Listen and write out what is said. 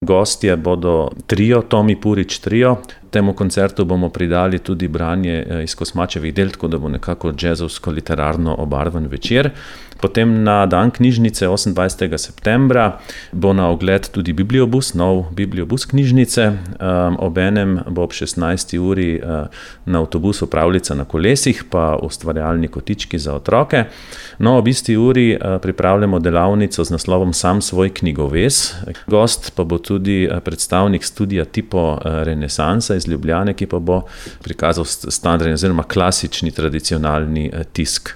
Gostje bodo trio, Tomi Purič trio. Temu koncertu bomo pridali tudi branje iz Kosmačevih del, tako da bo nekako jazzovsko-literarno obarvan večer. Potem na dan knjižnice 28. septembra bo na ogled tudi bibliobus, nov bibliobus knjižnice. Obenem bo ob 16. uri na avtobusu pravljica na kolesih, pa ustvarjalni kotički za otroke. No, ob isti uri pripravljamo delavnico z naslovom Sam svoj knjigoves. Gost pa bo tudi predstavnik studia Tipo Renesansa iz Ljubljane, ki pa bo prikazal standardni oziroma klasični tradicionalni tisk.